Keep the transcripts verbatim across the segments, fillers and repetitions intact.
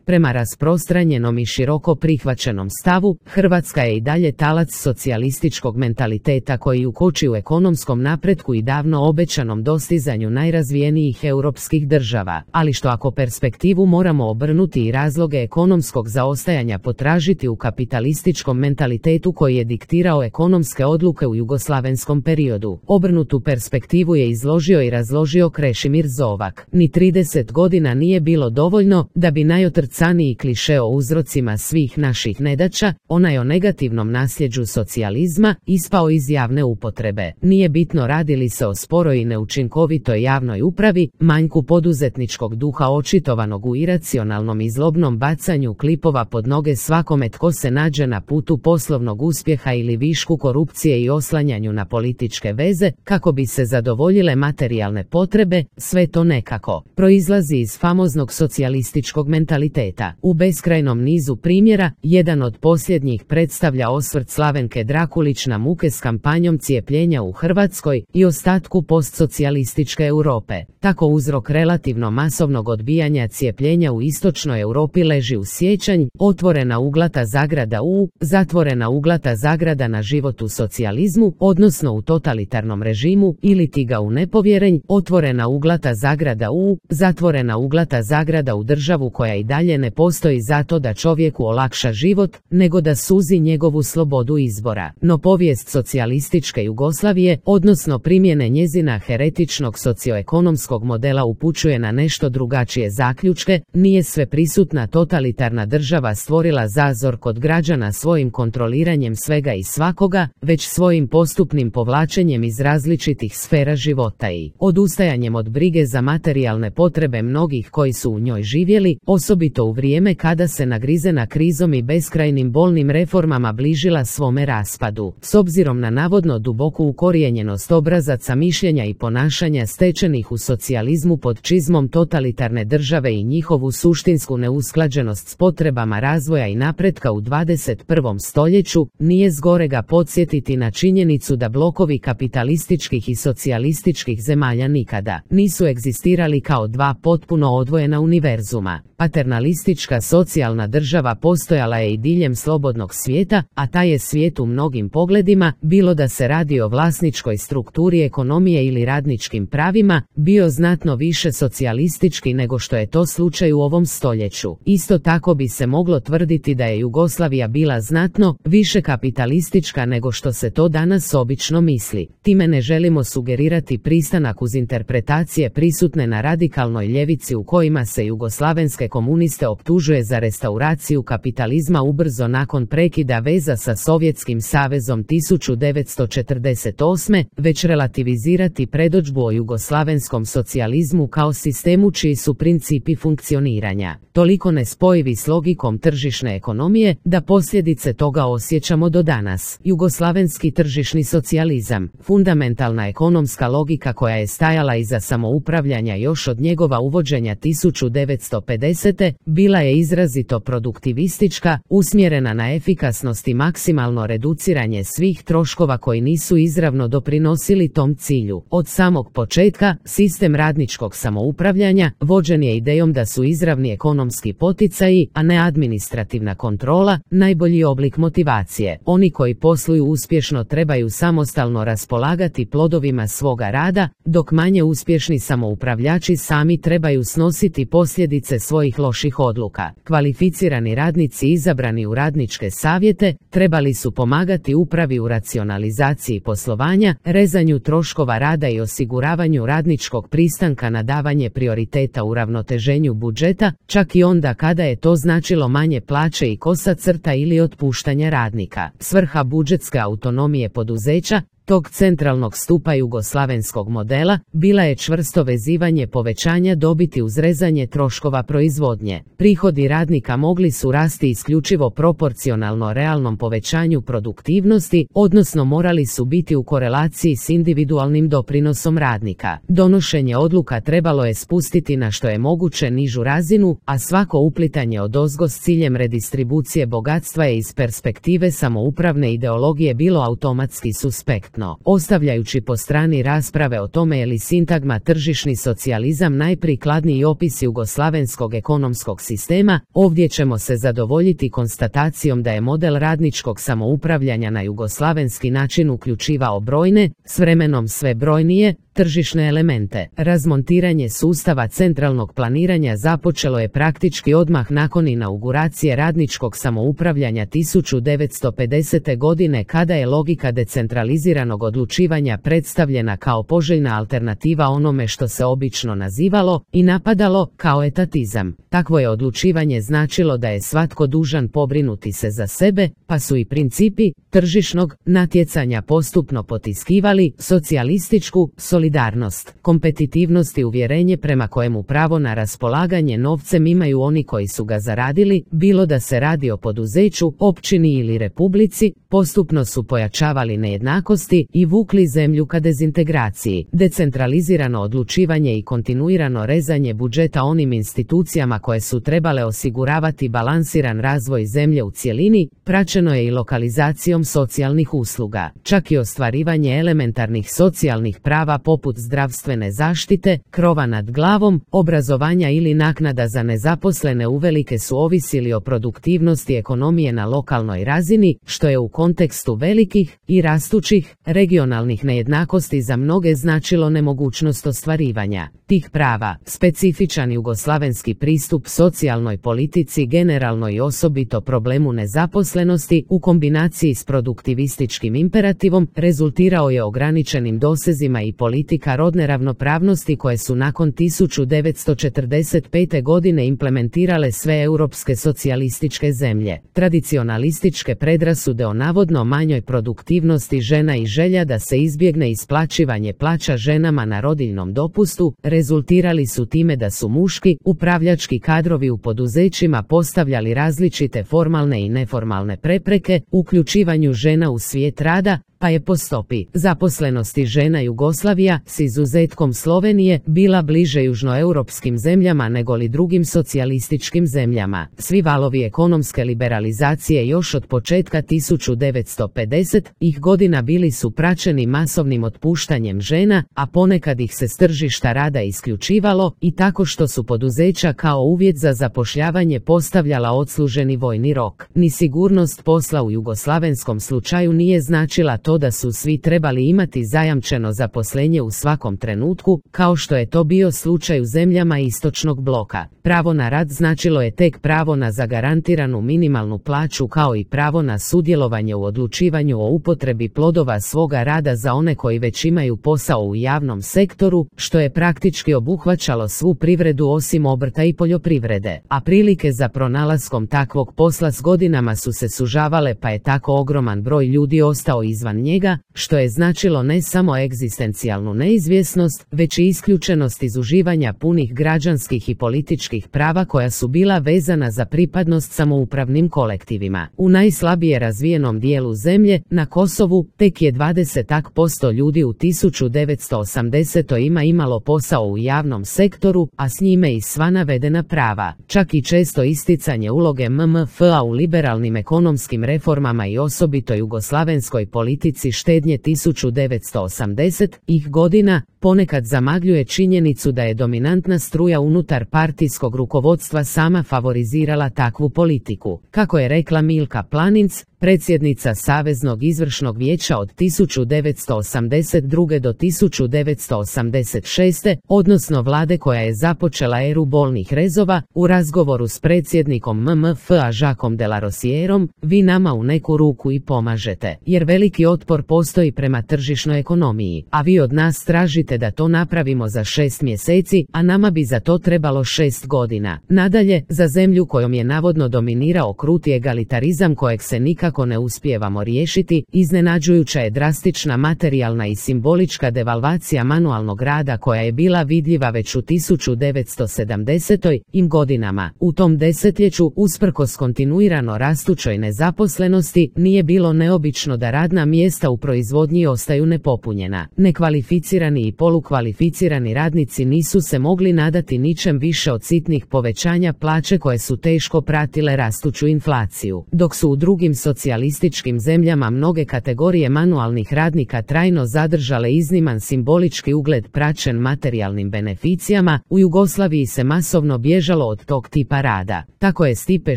Prema rasprostranjenom i široko prihvaćenom stavu, Hrvatska je i dalje talac socijalističkog mentaliteta koji ukoči u ekonomskom napretku i davno obećanom dostizanju najrazvijenijih europskih država, ali što ako perspektivu moramo obrnuti i razloge ekonomskog zaostajanja potražiti u kapitalističkom mentalitetu koji je diktirao ekonomske odluke u jugoslavenskom periodu. Obrnutu perspektivu je izložio i razložio Krešimir Zovak. Ni trideset godina nije bilo dovoljno da bi najotrcaniji kliše o uzrocima svih naših nedaća, onaj o negativnom nasljeđu socijalizma, ispao iz javne upotrebe. Nije bitno radi li se o sporoj i neučinkovitoj javnoj upravi, manjku poduzetničkog duha očitovanog u iracionalnom i zlobnom bacanju klipova pod noge svakome tko se nađe na putu poslovnog uspjeha ili višku korupcije i oslanjanju na političke veze, kako bi se zadovoljile materijalne potrebe, sve to nekako proizlazi iz famoznog socijalističkog mentaliteta. U beskrajnom nizu primjera, jedan od posljednjih predstavlja osvrt Slavenke Drakulić na muke s kampanjom cijepljenja u Hrvatskoj i ostatku postsocijalističke Europe. Tako uzrok relativno masovnog odbijanja cijepljenja u istočnoj Europi leži u sjećanj, otvorena uglata zagrada u, zatvorena uglata zagrada na život u socijalizmu, odnosno u totalitarnom režimu, ili ti ga u nepovjerenj, otvorena uglata zagrada u, zatvorena uglata zagrada u državu koja i dalje ne postoji zato da čovjeku olakša život, nego da suzi njegovu slobodu izbora. No povijest socijalističke Jugoslavije, odnosno primjene njezina heretičnog socioekonomskog modela upućuje na nešto drugačije zaključke. Nije sve prisutna totalitarna država stvorila zazor kod građana svojim kontroliranjem svega i svakoga, već svojim postupnim povlačenjem iz različitih sfera života i odustajanjem od brige za materijalne potrebe mnogih koji su u njoj živjeli, osobito u vrijeme kada se nagrizena krizom i beskrajnim bolnim reformama bližila svome raspadu. S obzirom na navodno duboku ukorijenjenost obrazaca mišljenja i ponašanja stečenih u socijalizmu pod čizmom totalitarne države i njihovu suštinsku neusklađenost s potrebama razvoja i napretka u dvadeset prvom stoljeću, nije zgorega podsjetiti na činjenicu da blokovi kapitalističkih i socijalističkih zemalja nikada nisu egzistirali kao dva potpuno odvojena univerzuma. Paternalistička socijalna država postojala je i diljem slobodnog svijeta, a taj je svijet u mnogim pogledima, bilo da se radi o vlasničkoj strukturi ekonomije ili radničkim pravima, bio znatno više socijalistički nego što je to slučaj u ovom stoljeću. Isto tako bi se moglo tvrditi da je Jugoslavija bila znatno više kapitalistička nego što se to danas obično misli. Time ne želimo sugerirati pristanak uz interpretacije prisutne na radikalnoj ljevici u kojima se jugoslavenske komuniste optužuje za restauraciju kapitalizma ubrzo nakon prekida veza sa Sovjetskim savezom tisuću devetsto četrdeset osme, već relativizirati predodžbu o jugoslavenskom socijalizmu kao sistemu čiji su principi funkcioniranja toliko nespojivi s logikom tržišne ekonomije da posljedice toga osjećamo do danas. Jugoslavenski tržišni socijalizam, fundamentalna ekonomska logika koja je stajala iza samoupravljanja još od njegova uvođenja tisuću devetsto pedesete, bila je izrazito produktivistička, usmjerena na efikasnost i maksimalno reduciranje svih troškova koji nisu izravno doprinosili tom cilju. Od samog početka, sistem radničkog samoupravljanja vođen je idejom da su izravni ekonomski poticaji, a ne administrativna kontrola, najbolji oblik motivacije. Oni koji posluju uspješno trebaju samostalno raspolagati plodovima svoga rada, dok manje uspješni samoupravljači sami trebaju snositi posljedice svojih loših odluka. Kvalificirani radnici izabrani u radničke savjete trebali su pomagati upravi u racionalizaciji poslovanja, rezanju troškova rada i osiguravanju radničkog pristanka na davanje prioriteta u ravnoteženju budžeta, čak i onda kada je to značilo manje plaće i kosa crta ili otpuštanja radnika. Svrha budžetske autonomije poduzeća, tog centralnog stupa jugoslavenskog modela, bila je čvrsto vezivanje povećanja dobiti uz rezanje troškova proizvodnje. Prihodi radnika mogli su rasti isključivo proporcionalno realnom povećanju produktivnosti, odnosno morali su biti u korelaciji s individualnim doprinosom radnika. Donošenje odluka trebalo je spustiti na što je moguće nižu razinu, a svako uplitanje odozgo s ciljem redistribucije bogatstva je iz perspektive samoupravne ideologije bilo automatski suspektno. suprotno. Ostavljajući po strani rasprave o tome je li sintagma tržišni socijalizam najprikladniji opis jugoslavenskog ekonomskog sistema, ovdje ćemo se zadovoljiti konstatacijom da je model radničkog samoupravljanja na jugoslavenski način uključivao brojne, s vremenom sve brojnije, tržišne elemente. Razmontiranje sustava centralnog planiranja započelo je praktički odmah nakon inauguracije radničkog samoupravljanja tisuću devetsto pedesete. godine kada je logika decentraliziranog odlučivanja predstavljena kao poželjna alternativa onome što se obično nazivalo i napadalo kao etatizam. Takvo je odlučivanje značilo da je svatko dužan pobrinuti se za sebe, pa su i principi tržišnog natjecanja postupno potiskivali socijalističku solidarnost, kompetitivnost i uvjerenje prema kojemu pravo na raspolaganje novcem imaju oni koji su ga zaradili, bilo da se radi o poduzeću, općini ili republici, postupno su pojačavali nejednakosti i vukli zemlju ka dezintegraciji. Decentralizirano odlučivanje i kontinuirano rezanje budžeta onim institucijama koje su trebale osiguravati balansiran razvoj zemlje u cjelini, praćeno je i lokalizacijom socijalnih usluga. Čak i ostvarivanje elementarnih socijalnih prava poput zdravstvene zaštite, krova nad glavom, obrazovanja ili naknada za nezaposlene uvelike su ovisili o produktivnosti ekonomije na lokalnoj razini, što je u kontekstu velikih i rastućih regionalnih nejednakosti za mnoge značilo nemogućnost ostvarivanja tih prava. Specifičan jugoslavenski pristup socijalnoj politici generalno i osobito problemu nezaposlenosti u kombinaciji s produktivističkim imperativom rezultirao je ograničenim dosezima i politika rodne ravnopravnosti koje su nakon tisuću devetsto četrdeset pete. godine implementirale sve europske socijalističke zemlje. Tradicionalističke predrasude o navodno manjoj produktivnosti žena i želja da se izbjegne isplaćivanje plaća ženama na rodiljnom dopustu rezultirali su time da su muški upravljački kadrovi u poduzećima postavljali različite formalne i neformalne prepreke uključivanju žena u svijet rada, pa je po stopi zaposlenosti žena Jugoslavija, s izuzetkom Slovenije, bila bliže južnoeuropskim zemljama negoli drugim socijalističkim zemljama. Svi valovi ekonomske liberalizacije još od početka tisuću devetsto pedesetih godina bili su praćeni masovnim otpuštanjem žena, a ponekad ih se s tržišta rada isključivalo i tako što su poduzeća kao uvjet za zapošljavanje postavljala odsluženi vojni rok. Ni sigurnost posla u jugoslavenskom slučaju nije značila to da su svi trebali imati zajamčeno zaposlenje u svakom trenutku, kao što je to bio slučaj u zemljama istočnog bloka. Pravo na rad značilo je tek pravo na zagarantiranu minimalnu plaću kao i pravo na sudjelovanje u odlučivanju o upotrebi plodova svoga rada za one koji već imaju posao u javnom sektoru, što je praktički obuhvaćalo svu privredu osim obrta i poljoprivrede, a prilike za pronalaskom takvog posla s godinama su se sužavale pa je tako ogroman broj ljudi ostao izvan njega, što je značilo ne samo egzistencijalnu neizvjesnost, već i isključenost iz uživanja punih građanskih i političkih prava koja su bila vezana za pripadnost samoupravnim kolektivima. U najslabije razvijenom dijelu zemlje, na Kosovu, tek je dvadeset posto ljudi u tisuću devetsto osamdesetoj ima imalo posao u javnom sektoru, a s njime i sva navedena prava. Čak i često isticanje uloge M M F A u liberalnim ekonomskim reformama i osobito jugoslavenskoj politici štednje tisuću devetsto osamdesetih godina ponekad zamagljuje činjenicu da je dominantna struja unutar partijskog rukovodstva sama favorizirala takvu politiku. Kako je rekla Milka Planinc, predsjednica Saveznog izvršnog vijeća od tisuću devetsto osamdeset druge do tisuću devetsto osamdeset šeste, odnosno vlade koja je započela eru bolnih rezova, u razgovoru s predsjednikom M M F A Jacquesom de la Rosierom, vi nama u neku ruku i pomažete, jer veliki otpor postoji prema tržišnoj ekonomiji, a vi od nas tražite da to napravimo za šest mjeseci, a nama bi za to trebalo šest godina. Nadalje, za zemlju kojom je navodno dominirao kruti egalitarizam kojeg se nikako ne uspijevamo riješiti, iznenađujuća je drastična materijalna i simbolička devalvacija manualnog rada koja je bila vidljiva već u tisuću devetsto sedamdesetim godinama. U tom desetljeću, usprkos kontinuirano rastućoj nezaposlenosti, nije bilo neobično da radna mjesta u proizvodnji ostaju nepopunjena. Nekvalificirani i polukvalificirani radnici nisu se mogli nadati ničem više od sitnih povećanja plaće koje su teško pratile rastuću inflaciju, dok su u drugim socijalnim socijalističkim zemljama mnoge kategorije manualnih radnika trajno zadržale izniman simbolički ugled praćen materijalnim beneficijama, u Jugoslaviji se masovno bježalo od tog tipa rada. Tako je Stipe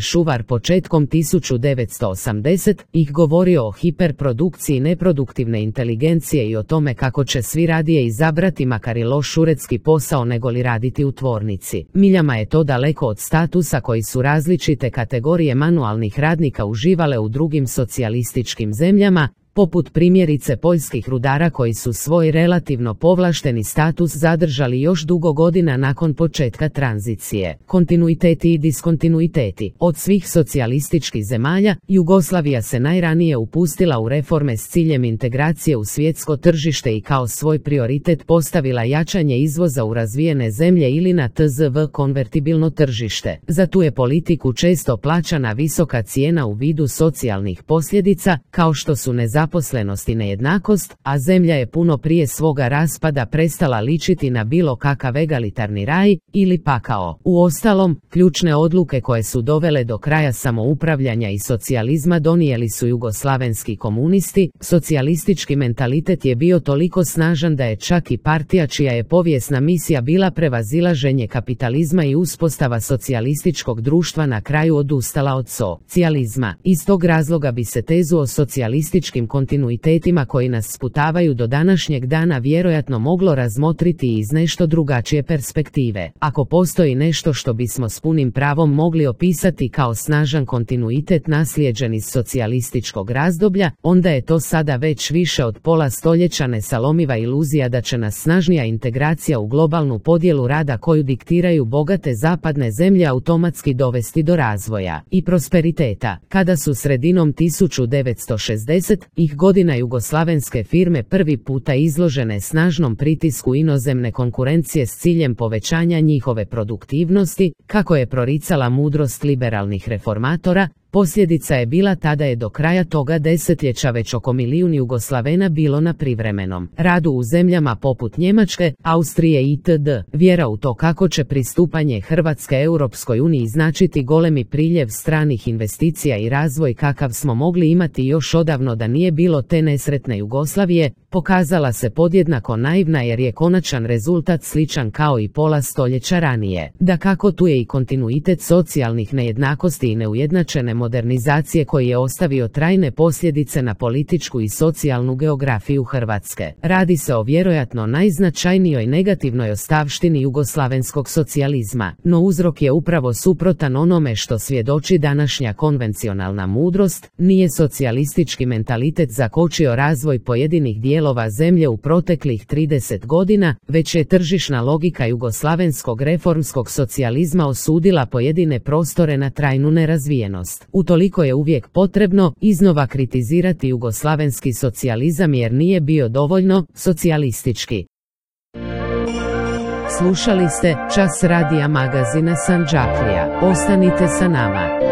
Šuvar početkom tisuću devetsto osamdesetih govorio o hiperprodukciji neproduktivne inteligencije i o tome kako će svi radije izabrati makar i loš uredski posao negoli raditi u tvornici. Miljama je to daleko od statusa koji su različite kategorije manualnih radnika uživale u drugim socijalističkim zemljama, poput primjerice poljskih rudara koji su svoj relativno povlašteni status zadržali još dugo godina nakon početka tranzicije. Kontinuiteti i diskontinuiteti. Od svih socijalističkih zemalja, Jugoslavija se najranije upustila u reforme s ciljem integracije u svjetsko tržište i kao svoj prioritet postavila jačanje izvoza u razvijene zemlje ili na T Z V konvertibilno tržište. Za tu je politiku često plaćana visoka cijena u vidu socijalnih posljedica, kao što su nezaposlenost Zaposlenost i nejednakost, a zemlja je puno prije svoga raspada prestala ličiti na bilo kakav egalitarni raj ili pakao. Uostalom, ključne odluke koje su dovele do kraja samoupravljanja i socijalizma donijeli su jugoslavenski komunisti. Socijalistički mentalitet je bio toliko snažan da je čak i partija čija je povijesna misija bila prevazilaženje kapitalizma i uspostava socijalističkog društva na kraju odustala od socijalizma. Iz tog razloga bi se tezu o socijalističkim kontinuitetima koji nas sputavaju do današnjeg dana vjerojatno moglo razmotriti iz nešto drugačije perspektive. Ako postoji nešto što bismo s punim pravom mogli opisati kao snažan kontinuitet naslijeđen iz socijalističkog razdoblja, onda je to sada već više od pola stoljeća nesalomiva iluzija da će nas snažnija integracija u globalnu podjelu rada koju diktiraju bogate zapadne zemlje automatski dovesti do razvoja i prosperiteta. Kada su sredinom tisuću devetsto šezdesetih godina jugoslavenske firme prvi puta izložene snažnom pritisku inozemne konkurencije s ciljem povećanja njihove produktivnosti, kako je proricala mudrost liberalnih reformatora, posljedica je bila tada je do kraja toga desetljeća već oko milijun Jugoslavena bilo na privremenom radu u zemljama poput Njemačke, Austrije itd. Vjera u to kako će pristupanje Hrvatske Europskoj uniji značiti golemi priljev stranih investicija i razvoj kakav smo mogli imati još odavno da nije bilo te nesretne Jugoslavije, pokazala se podjednako naivna jer je konačan rezultat sličan kao i pola stoljeća ranije. Dakako tu je i kontinuitet socijalnih nejednakosti i neujednačene modernizacije koji je ostavio trajne posljedice na političku i socijalnu geografiju Hrvatske. Radi se o vjerojatno najznačajnijoj negativnoj ostavštini jugoslavenskog socijalizma, no uzrok je upravo suprotan onome što svjedoči današnja konvencionalna mudrost. Nije socijalistički mentalitet zakočio razvoj pojedinih dijelova zemlje u proteklih trideset godina, već je tržišna logika jugoslavenskog reformskog socijalizma osudila pojedine prostore na trajnu nerazvijenost. Utoliko je uvijek potrebno iznova kritizirati jugoslavenski socijalizam jer nije bio dovoljno socijalistički. Slušali ste Čas radija magazina Sandžaklija. Ostanite sa nama.